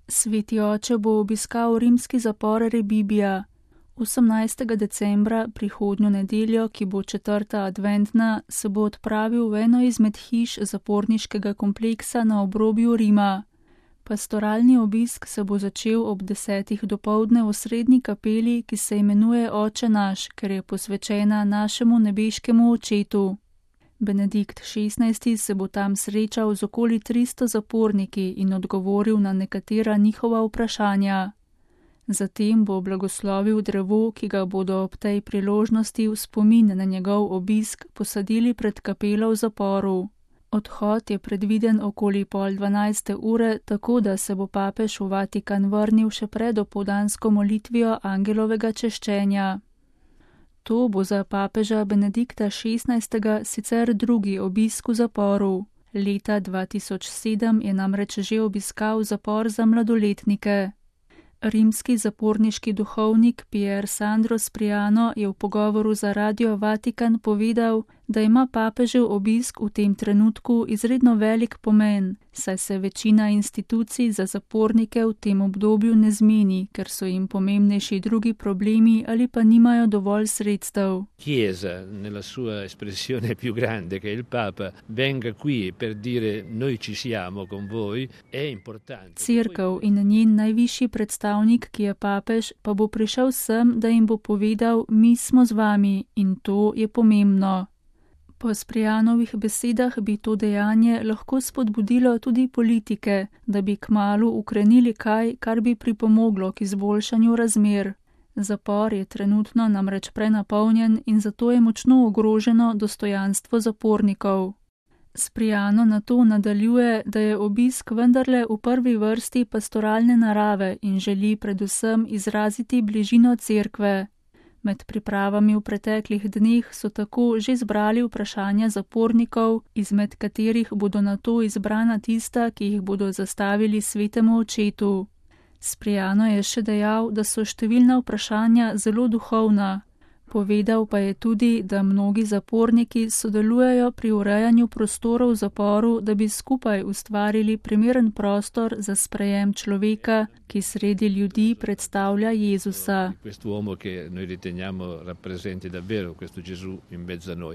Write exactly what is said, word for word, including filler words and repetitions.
Sveti oče bo obiskal rimski zapor Rebibbia. osemnajstega decembra, prihodnjo nedeljo, ki bo četrta adventna, se bo odpravil v eno izmed hiš zaporniškega kompleksa na obrobju Rima. Pastoralni obisk se bo začel ob desetih dopoldne v srednji kapeli, ki se imenuje Oče naš, ker je posvečena našemu nebeškemu očetu. Benedikt šestnajsti se bo tam srečal z okoli tristo zaporniki in odgovoril na nekatera njihova vprašanja. Zatem bo blagoslovil drevo, ki ga bodo ob tej priložnosti v spomin na njegov obisk posadili pred kapelo v zaporu. Odhod je predviden okoli pol dvanajste ure, tako da se bo papež v Vatikan vrnil še pred opoldansko molitvijo angelovega češčenja. To bo za papeža Benedikta šestnajstega sicer drugi obisk v zaporu. Leta dva tisoč sedem je namreč že obiskal zapor za mladoletnike. Rimski zaporniški duhovnik Pier Sandro Spriano je v pogovoru za Radio Vatikan povedal, da ima papežev obisk v tem trenutku izredno velik pomen, saj se večina institucij za zapornike v tem obdobju ne zmeni, ker so jim pomembnejši drugi problemi ali pa nimajo dovolj sredstev. Chiesa, nella sua espressione più grande, che il Papa venga qui per dire noi ci siamo con voi, è importante. Cerkev in njen najvišji predstavnik, ki je papež, pa bo prišel sem, da jim bo povedal, mi smo z vami, in to je pomembno. Po Sprijanovih besedah bi to dejanje lahko spodbudilo tudi politike, da bi kmalu ukrenili kaj, kar bi pripomoglo k izboljšanju razmer. Zapor je trenutno namreč prenapolnjen in zato je močno ogroženo dostojanstvo zapornikov. Sprijano na to nadaljuje, da je obisk vendarle v prvi vrsti pastoralne narave in želi predvsem izraziti bližino cerkve. Med pripravami v preteklih dneh so tako že zbrali vprašanja zapornikov, izmed katerih bodo nato izbrana tista, ki jih bodo zastavili svetemu očetu. Sprijano je še dejal, da so številna vprašanja zelo duhovna. Povedal pa je tudi, da mnogi zaporniki sodelujejo pri urejanju prostorov v zaporu, da bi skupaj ustvarili primeren prostor za sprejem človeka, ki sredi ljudi predstavlja Jezusa. Quest'uomo che noi riteniamo rappresenti davvero questo Gesù in mezzo a noi.